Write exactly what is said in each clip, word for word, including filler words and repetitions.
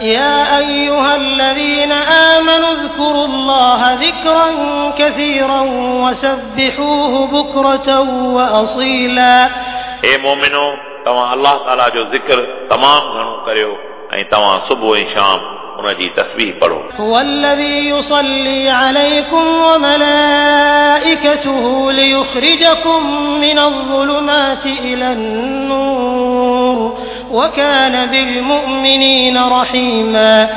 يا أيها الذين آمنوا اذكروا الله ذكرا كثيرا وسبحوه بكرة وأصيلا. ए मोमिनो, तव्हां अल्लाह ताला जो ज़िक्र तमामु घणो करियो ऐं तव्हां सुबुह ऐं शाम उन जी तस्बीह पढ़ो। هو الذي يصلي عليكم وملائكته ليخرجكم من الظلمات إلى النور وكان بالمؤمنين رحيما.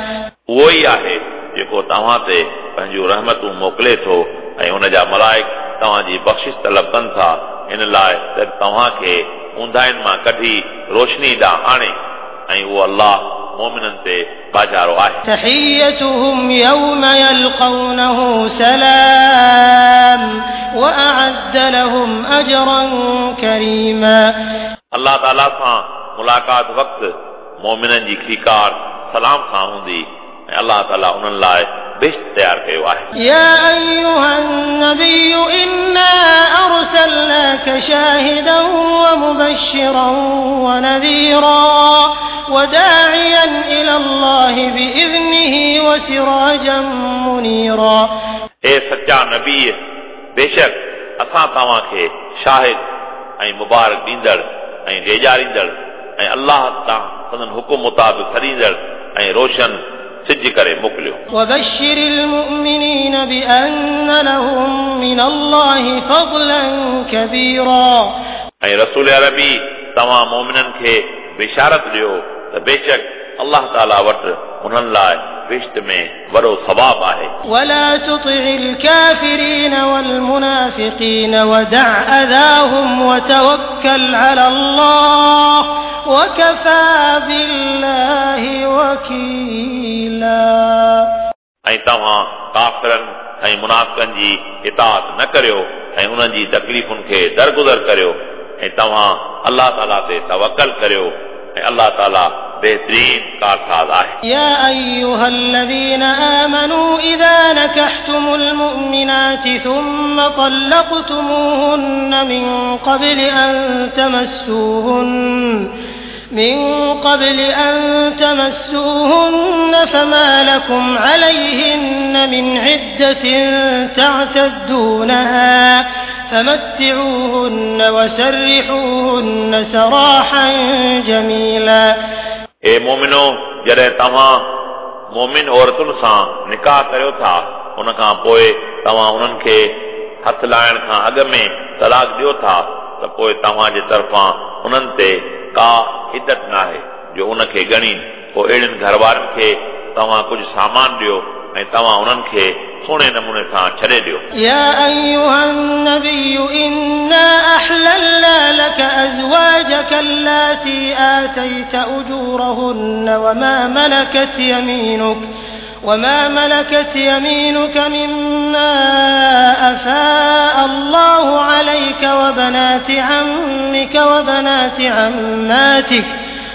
उहो ई आहे जेको तव्हां ते पंहिंजूं रहमतूं मोकिले थो ऐं उन जा मलाइक तव्हांजी बख़्शिश तलब कनि था, इन लाइ त तव्हांखे ऊंदाइन मां कढी रोशनी ॾांहुं आणे, ऐं उहो अल्लाह मोमिननि ते बाजारो आहे। تحيتهم يوم يلقونه سلام وأعد لهم أجرا كريما. अल्लाह ताला सां मुलाक़ात वक़्तु मोमिननि जी खीकार सलाम सां हूंदी ऐं अल्लाह ताला उन्हनि लाइ बेश्त तयारु कयो आहे। يا أيها النبي إنا أرسلناك شاهدا ومبشرا ونذيرا وداعيا إلى الله بإذنه وسراجا منيرا. ए सच्चा नबी, बेशक असां तव्हांखे शाहिद ऐं मुबारक ॾींदड़ ऐं ॾेजारींदड़ ऐं अल्लाह तां संदन हुकुम मुताबिक़ सॾींदड़ ऐं रोशन सिज करे मोकिलियो। وبشر المؤمنين بأن لهم من الله فضلا كبيرا. ऐं रसूल अरबी तव्हां मोमिननि खे बिशारत ॾियो त बेशक अल्लाह ताला वटि उन्हनि लाइ बिश्त में वॾो सवाब आहे। ولا تطع الكافرين والمنافقين ودع أذاهم وتوكل على الله وكفى بالله وكيلا. ऐं तव्हां काफ़िरनि ऐं मुनाफ़िकनि जी इताअत न करियो ऐं उन्हनि जी तकलीफ़ुनि खे दरगुज़र करियो ऐं तव्हां अल्लाह ताला ते तवकल करियो ऐं अल्लाह ताला बेहतरीन कारसाज़ आहे। يا أيها الذين آمنوا إذا نكحتم المؤمنات ثم طلقتموهن من قبل أن تمسوهن من قبل أن تمسوهن فما لكم عليهن من عدة تعتدونها فمتعوهن وسرحوهن سراحا جميلا. ए मोमिनो, जॾहिं तव्हां मोमिन औरतुनि सां निकाह करियो था, उन खां पोइ तव्हां उन्हनि खे हथ लाइण खां अॻु में तलाक ॾियो था, त पोइ तव्हांजे तरफ़ां उन्हनि ते का इदत न आहे जो उनखे ॻणी। पोइ अहिड़नि घर वारनि खे तव्हां कुझु सामान ॾियो ऐं तव्हां उन्हनि खे सुहिणे नमूने सां छॾे ॾियो। يا أيها النبي إنا أحللنا لك أزواجك اللاتي آتيت أجورهن وما ملكت يمينك وما ملكت يمينك مما أفاء الله عليك وبنات عمك وبنات عماتك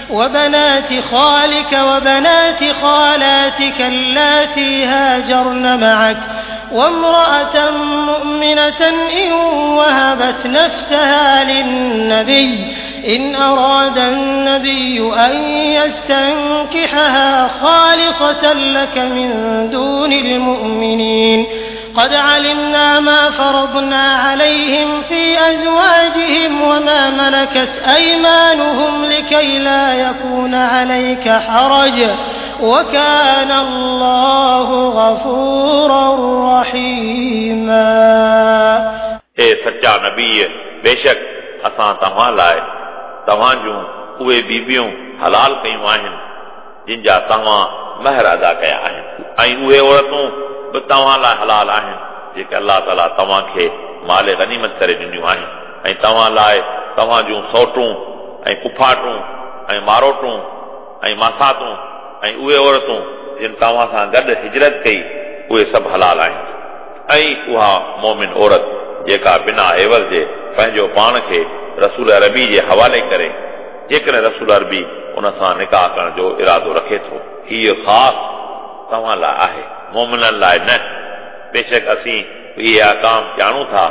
وبنات خالك وبنات خالاتك اللاتي هاجرن معك وامرأة مؤمنة إن وهبت نفسها للنبي إن أراد النبي أن يستنكحها خالصة لك من دون المؤمنين قد علمنا ما فرضنا عليهم في أزواجهم وما ملكت أيمانهم لكي لا يكون عليك حرج وكان الله غفورا رحيما. ए सच्चा नबी, बेशक असां तव्हां लाइ तव्हां जूं उहे बीबियूं हलाल कयूं आहिनि जिन जा तव्हां महर अदा कया आहिनि, ऐं उहे औरतूं बि तव्हां लाइ हलाल आहिनि जेके अल्लाह ताला तव्हांखे माल गनीमत करे ॾिनियूं आहिनि, ऐं तव्हां लाइ तव्हां जूं सौटूं ऐं पुफाटूं ऐं मारोटूं ऐं मासातूं ऐं उहे औरतूं जिन तव्हां सां गॾु हिजरत कई, उहे सभु हलाल आहिनि। ऐं उहा मोमिन औरत जेका बिना एवज़ जे पंहिंजो पाण खे रसूल अरबी जे हवाले करे, जेकॾहिं रसूल अरबी उन सां निकाह करण जो इरादो रखे थो, हीअ ख़ासि तव्हां लाइ आहे, मोमिननि लाइ न। बेशक असीं इहे अहकाम ॼाणूं था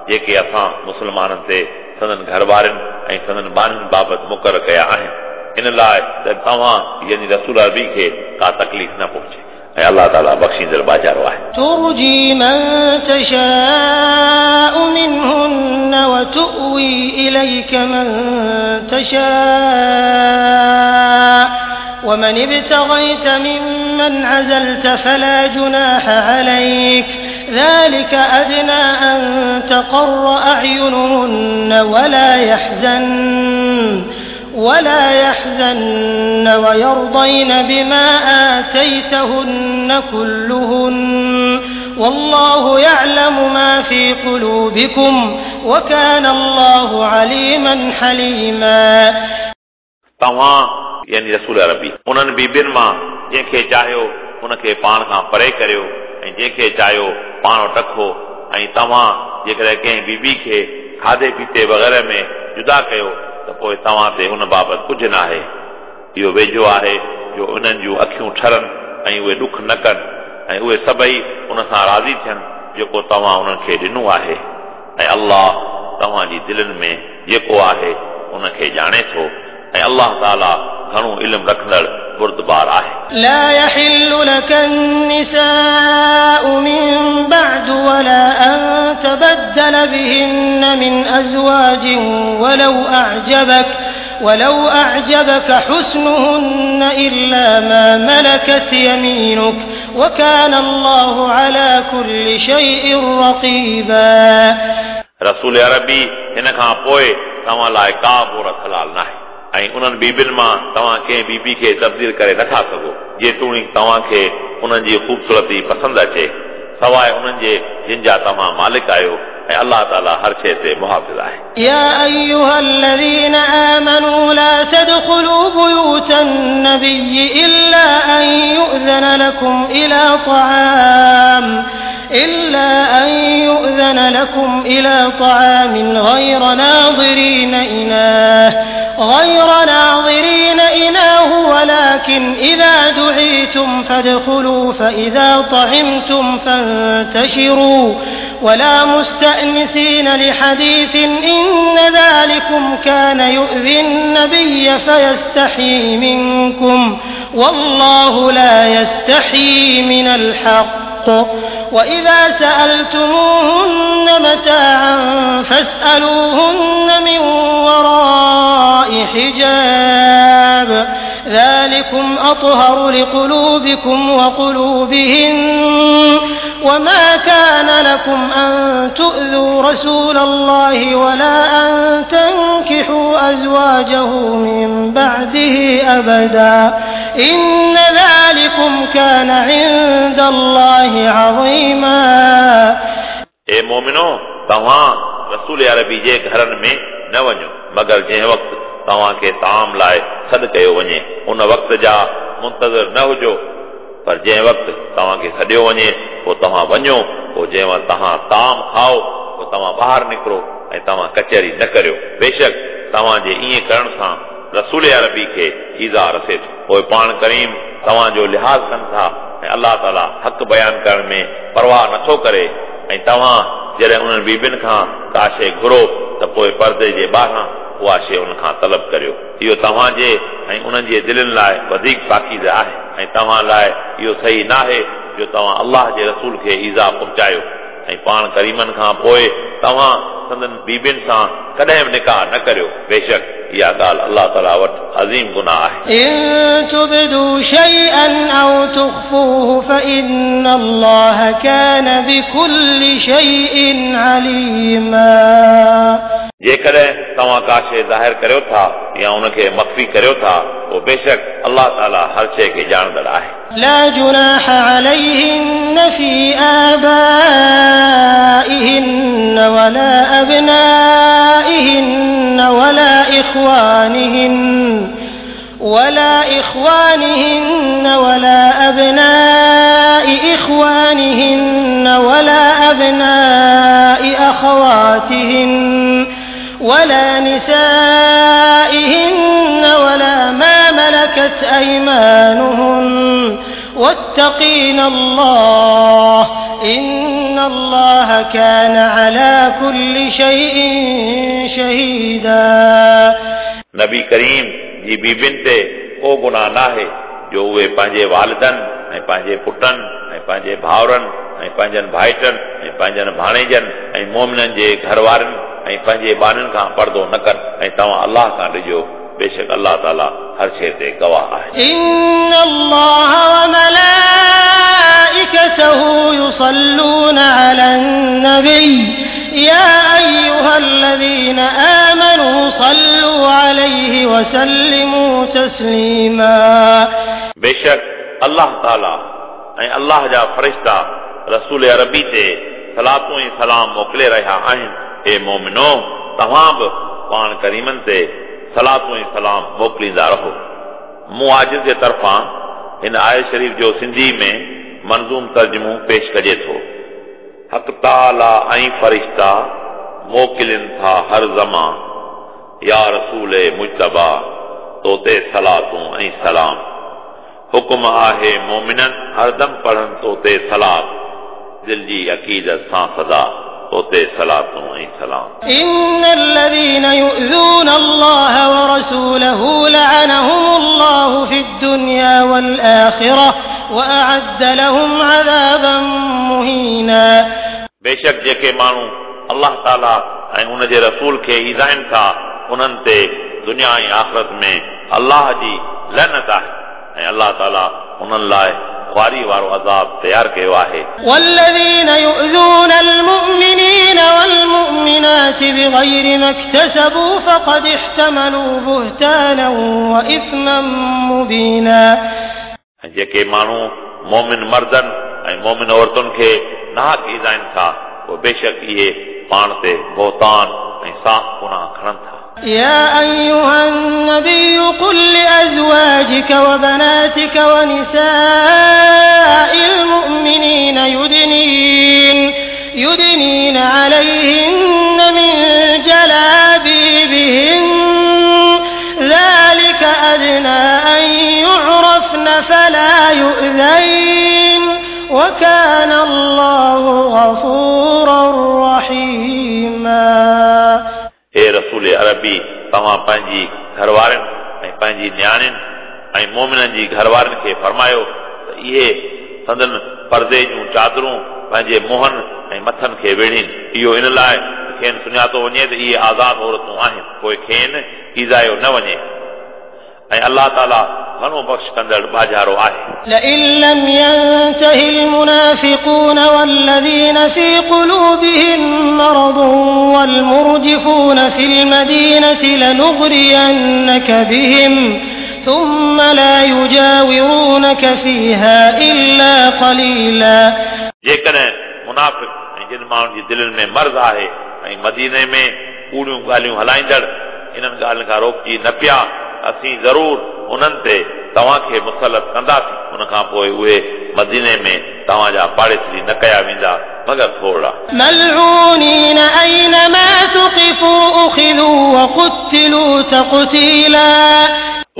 जेके असां मुस्लमाननि ते संदन घर वारनि ऐं संदन ॿारनि बाबति मुक़ररु कया आहिनि, इन लाइ त तव्हां यानी रसूल अरबी खे का तकलीफ़ न पहुचे ऐं अल्लाह ताला बख़्शींदड़ बाजारो आहे। तुर्जी मन तशाउ मिनहुन्न व तुवी इलैक मन तशा वमन इब्तगैत मिम्मन अज़लत फला जुनाह अलैक ज़ालिक अदना अन तक़र्र अअयुनुहुन्न वला यहज़न्न वला यहज़न्न वयर्दैन बिमा आतैतहुन्न कुल्लुहुन्न वल्लाहु यअलमु मा फ़ी क़ुलूबिकुम वकान अल्लाहु अलीमन हलीमा। तव्हां यानी रसूल अरबी उन्हनि बीबियुनि मां जंहिंखे चाहियो उनखे पाण खां परे करियो ऐं जंहिंखे चाहियो पाण वटि रखो ऐं तव्हां जेकॾहिं कंहिं बीबी खे खाधे पीते वग़ैरह में जुदा कयो त पोइ तव्हां ते उन बाबति कुझु न आहे। इहो वेझो आहे जो उन्हनि जूं अखियूं ठरनि ऐं उहे ॾुख न कनि ऐं उहे सभई उन सां राज़ी थियनि जेको तव्हां उन्हनि खे ॾिनो आहे ऐं अल्लाह तव्हांजी दिलनि में जेको आहे उनखे ॼाणे थो ऐं अल्लाह ताला घणो इल्मु रखंदड़ बुर्दबार आहे। لا يحل لك النساء من بعد ولا أن تبدل بهن من أزواج ولو أعجبك ولو أعجبك حسنهن إلا ما ملكت يمينك وكان الله على كل شيء رقيبا। रसूल अरबी हिन खां पोइ तव्हां लाइ का बि औरत हलाल न आहे ऐं उन्हनि बीबियुनि मां तव्हां कंहिं बीबी खे तब्दील करे नथा सघो जेतोणीकि तव्हांखे उन्हनि जी ख़ूबसूरती पसंदि अचे सवाइ उन्हनि जे जिन जा तव्हां मालिक आहियो ऐं अल्लाह ताला हर शइ ते मुहाफ़िज़ आहे। या अय्युहल्लज़ीन आमनू ला तदख़ुलू बुयूतन नबिय्यि इल्ला अन युअज़न लकुम इला तआम इल्ला अन युअज़न लकुम इला तआमिन ग़ैर नाज़िरीन इनाह غير ناظرين إناه ولكن إذا دعيتم فادخلوا فإذا طعمتم فانتشروا ولا مستأنسين لحديث إن ذلكم كان يؤذي النبي فيستحيي منكم والله لا يستحيي من الحق وإذا سألتموهن متاعا فاسألوهن من وراء حجاب ذلكم أطهر لقلوبكم وقلوبهن وما كان لكم أن تؤذوا رسول الله ولا أن تنكحوا أزواجه من بعده أبدا إن ذلكم كان عند الله عظيما। ए मोमिनो, तव्हां रसूल अरबी जे घरनि में न वञो मगर जंहिं वक़्तु तव्हांखे ताम लाइ सॾु कयो वञे उन वक़्त जा मुंतज़िर न हुजो, पर जंहिं वक़्तु तव्हांखे सॾियो वञे पोइ तव्हां वञो, पोइ जंहिं वक़्तु तव्हां ताम खाओ पोइ तव्हां ॿाहिरि निकिरो ऐं तव्हां कचहरी न करियो। बेशक तव्हांजे ईअं करण सां रसूल अरबी खे ईज़ा रसे थो। पोइ पाण करीम तव्हांजो लिहाज़ कनि था ऐं अल्लाह ताला हक़ बयानु करण में परवाह नथो करे। ऐं तव्हां जॾहिं उन्हनि बीबियुनि खां का शइ घुरो त पोइ परदे जे ॿाहिरां उहा शइ उन खां तलब करियो। इहो तव्हांजे ऐं उन्हनि जे दिलनि लाइ वधीक पाकीज़ आहे ऐं तव्हां लाइ इहो सही न आहे जो तव्हां अल्लाह जे रसूल खे ईज़ा पहुचायो ऐं पाण करीमनि खां पोइ तव्हां संदन बीबियुनि सां कॾहिं बि निकाह न करियो। बेशक इहा ॻाल्हि अल्लाह ताला वटि अज़ीम गुनाह आहे। इन तुबदू शैअन औ तुख़फ़ूहु फ़इन्नल्लाह कान बिकुल्लि शैइन अलीमा। जेकॾहिं तव्हां का शइ ज़ाहिर करियो था या उनखे मख़फ़ी करियो था पोइ बेशक अल्लाह ताला हर शइ खे ॼाणंदड़ आहे। ला जुनाह अलैहिन्न फ़ी आबाइहिन्न वला अबनाइहिन्न वला इख़्वानिहिन्न वला इख़्वानिहिन्न वला अबनाइ इख़्वानिहिन्न वला अबनाइ अख़वातिहिन्न वला निसाइहिन्न वला मा मलकत अयमानुहुन्न वत्तक़ीन अल्लाह इन्नल्लाह कान अला कुल्लि शैइन शहीदा। नबी करीम जी बीबियुनि ते को गुनाह न आहे जो जो उहे पंहिंजे वालिदनि ऐं पंहिंजे पुटनि ऐं पंहिंजे भाउरनि ऐं पंहिंजनि भाइटनि ऐं पंहिंजनि भाणेजनि ऐं मोमिननि जे घर वारनि ऐं पंहिंजे ॿारनि खां पर्दो न कनि ऐं तव्हां अल्लाह खां ॾिजो, बेशक अल्लाह ताला हर शइ ते गवाह आहे। إن الله وملائكته يصلون على النبي يا أيها الذين آمنوا صلوا عليه وسلموا تسليما। बेशक अल्लाह ताला ऐं अल्लाह जा फ़रिश्ता रसूल अरबी ते सलातूं ऐं सलाम मोकिले रहिया आहिनि। हे मोमिनो, तव्हां बि पाण करीमनि ते सलातूं ऐं सलाम मोकिलींदा रहो। मूं आजिज़ जे तरफ़ां हिन आयत शरीफ़ जो सिंधी में मंज़ूम तर्जुमो पेश कजे थो। हक़ ताला ऐं फ़रिश्ता मोकिलिन था हर ज़मा, या रसूल मुज्तबा तो ते सलातूं ऐं सलाम। हुकुम आहे मोमिननि हरदम पढ़नि तो ते सलात, दिल जी अक़ीदत सां सदा तो ते सलातूं ऐं सलाम। إن الذين يؤذون الله ورسوله لعنهم الله في الدنيا والآخرة وأعد لهم عذابا مهينا। बेशक जेके माण्हू अल्लाह ताला ऐं उन जे रसूल खे ईज़ाइनि था, उन्हनि ते दुनिया ऐं आख़िरत में अल्लाह जी लनत आहे ऐं अल्लाह ताला उन्हनि लाइ ख्वारी वारो अज़ाब तयारु कयो आहे। والذين يؤذون المؤمنين والمؤمنات بغير ما اكتسبوا فقد احتملوا بهتانا وإثما مبينا। ऐं जेके माण्हू मोमिन मर्दनि ऐं मोमिन औरतुनि खे नाहक ईज़ाइनि था, पोइ बेशक इहे पाण ते बोहतान ऐं साफ़ गुनाह खणनि था। يا أيها النبي قل لأزواجك وبناتك ونساء المؤمنين يدنين يدنين عليهن من جلابيبهن ذلك أدنى أن يعرفن فلا يؤذين وكان الله غفورا رحيما। हे रसूल अरबी, तव्हां पंहिंजी घरवारनि ऐं पंहिंजी नियाणियुनि ऐं मोमिननि जी घरवारनि खे फरमायो त इहे संदन पर्दे जूं चादरूं पंहिंजे मुंहनि ऐं मथनि खे वेढ़ीनि। इहो इन लाइ खेनि सुञातो वञे त इहे आज़ाद औरतूं आहिनि, पोइ खेनि ईज़ायो न वञे ऐं अल्लाह ताला घणो बख़्श कंदड़ बाजारो आहे। لئن لم ينته المنافقون والذين في قلوبهم مرض والمرجفون في المدينة لنغرينك بهم ثم لا يجاورونك فيها إلا قليلا। जेकॾहिं मुनाफ़िक़ ऐं जिन माण्हुनि जी दिलनि में मर्ज़ आहे ऐं मदीने में कूड़ियूं ॻाल्हियूं हलाईंदड़ इन्हनि ॻाल्हियुनि खां रोकिजी न पिया, असीं ज़रूर उन्हनि ते तव्हांखे मुसलत कंदासीं। उन खां पोइ उहे मदीने में तव्हांजा पाड़ेसरी न कया वेंदा मगर थोरा। मलऊनीन ऐनमा तुक़िफू उख़िज़ू वक़ुतिलू तक़तीला।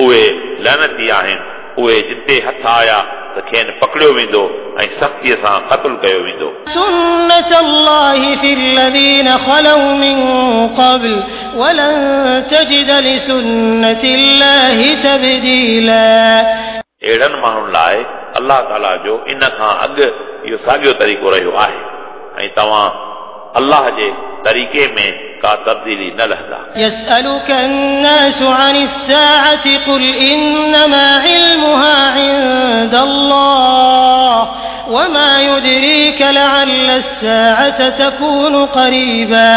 उहे लानती आहिनि, उहे जिते हथ आया त खेनि पकड़ियो वेंदो ऐं सख़्तीअ सां क़तल कयो वेंदो। सुन्नत अल्लाहि फ़िल्लज़ीन ख़लौ मिन क़ब्ल वलन तजिद लिसुन्नतिल्लाहि तब्दीला। अहिड़नि माण्हुनि लाइ अल्लाह ताला जो इन खां अॻु इहो साॻियो तरीक़ो रहियो आहे ऐं तव्हां अल्लाह जे तरीक़े में का तब्दीली न लहंदा। يسألك الناس عن الساعة قل إنما علمها عند الله وما يدريك لعل الساعة تكون قريبا।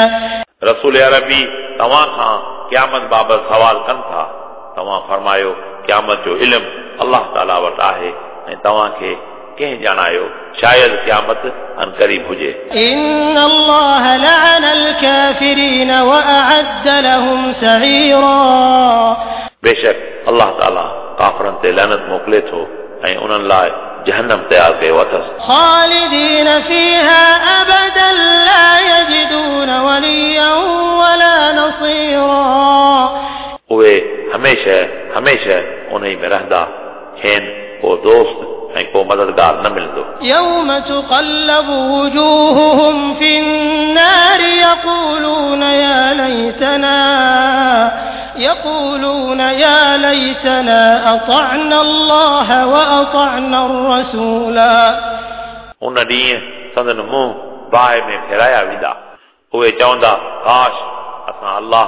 रसूल अरबी तव्हां खां क़यामत बाबति सवाल कनि था, तव्हां फरमायो क़यामत जो इल्मु अल्लाह ताला वटि आहे ऐं तव्हांखे कंहिं ॼाणायो, शायदि क़यामत अनक़रीब हुजे। إن الله لعن الكافرين وأعد لهم سعيرا। बेशक अल्लाह ताला काफ़रनि ते लानत मोकिले थो ऐं उन्हनि लाइ जहन्नम तयारु कयो अथसि। خالدين فيها أبدا لا يجدون وليا ولا نصيرا। उहे हमेशह हमेशह उन में रहंदा, खेनि को दोस्त ऐं को मददगार न मिलंदो। يوم تقلب وجوههم في النار يقولون يا ليتنا يقولون يا ليتنا أطعنا الله وأطعنا الرسولا. उन ॾींहुं संदन मुंहुं बाहि में फेराया वेंदा। उहे चवंदा काश असां अल्लाह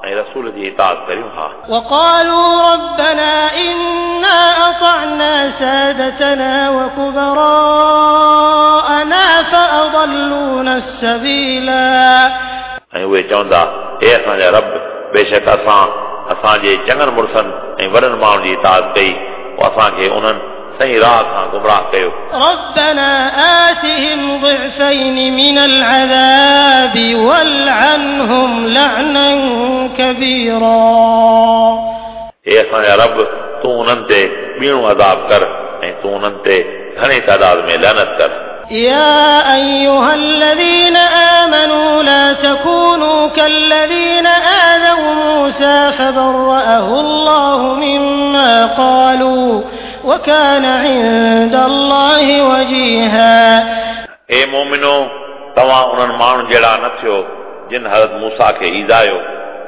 ऐं रसूल जी इताअत करियूं हा। وقالوا ربنا إنا أطعنا سادتنا وكبراءنا فأضلونا السبيلا. ऐं उहे चवंदा हे असांजा रब, बेशक असां असांजे चङनि मुड़ुसनि ऐं वॾनि माण्हुनि जी इताअत कई, पोइ असांखे उन्हनि सही राह खां गुमराह कयो। ربنا آتهم ضعفين من العذاب والعنهم لعنا كبيرا. हे असांजा रब, तूं उन्हनि ते ॿीणो अज़ाब कर ऐं तूं उन्हनि ते घणे तादाद में लानत कर। يا أيها الذين آمنوا لا تكونوا كالذين آذوا موسى فبرأه الله مما قالوا وكان عند الله وجيها. ए मोमिनो, तव्हां उन्हनि माण्हुनि जहिड़ा न थियो जिन हज़रत मूसा खे ईज़ायो,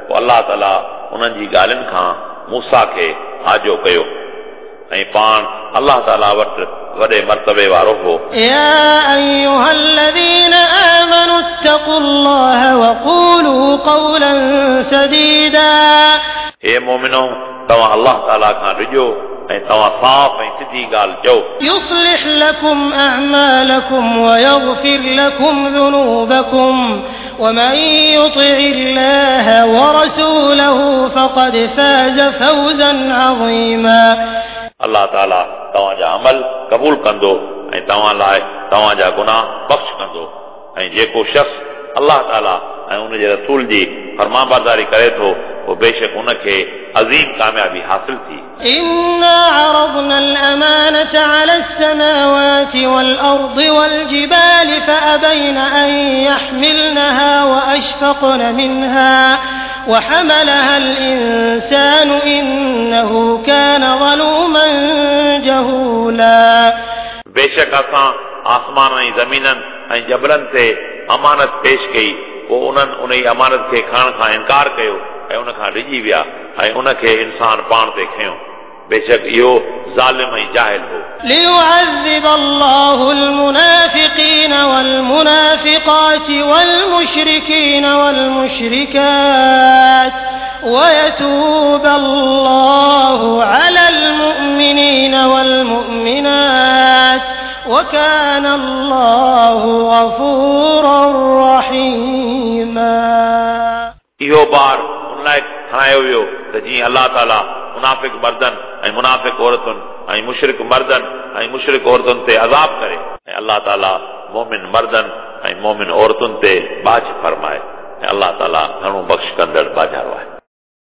पोइ अलाह ताला उन्हनि जी ॻाल्हियुनि खां मूसा खे आजो कयो ऐं पाण अलाह ताला वटि वॾे मर्तबे वारो हो। يا أيها الذين آمنوا اتقوا الله وقولوا قولا سديدا. हे मोमिनो, तव्हां अलाह ताला खां ॾिजो ऐं तव्हां साफ़ ऐं सिधी ॻाल्हि चओ। يصلح لكم أعمالكم ويغفر لكم ذنوبكم ومن يطع الله ورسوله فقد فاز فوزا عظيما. अलाह ताला तव्हांजा अमल क़बूल कंदो ऐं तव्हां लाइ तव्हांजा गुनाह बख़्श कंदो ऐं जेको शख़्स अलाह ताला ऐं उनजे रसूल जी फरमाबरदारी करे थो पोइ बेशक उनखे अज़ीम कामयाबी हासिल थी। إنا عرضنا الأمانة على السماوات والأرض والجبال فأبين أن يحملنها وأشفقن منها وحملها الإنسان إنه كان ظلوما جهولا. बेशक असां आसमान ऐं ज़मीननि ऐं जबलनि ते अमानत पेश कई, पोइ उन्हनि उन अमानत खे खणण खां इनकार कयो ऐं उन खां डिॼी विया ऐं उनखे इंसान पाण ते खयो। बेशक इहो ज़ालिम ऐं जाहिल हो। ليعذب الله المنافقين والمنافقات والمشركين والمشركات ويتوب الله على المؤمنين والمؤمنات وكان الله غفورا رحيما. इहो बार उन लाइ खणायो वियो त जीअं अलाह ताला मुनाफ़िक मर्दनि ऐं मुनाफ़िक औरतुनि ऐं मुशरिक मर्दनि ऐं मुशरिक औरतुनि ते अज़ाब करे ऐं अलाह ताला मोमिन मर्दनि ऐं मोमिन औरतुनि ते बाझ फरमाए ऐं अलाह ताला घणो बख़्श कंदड़ बाजारो आहे।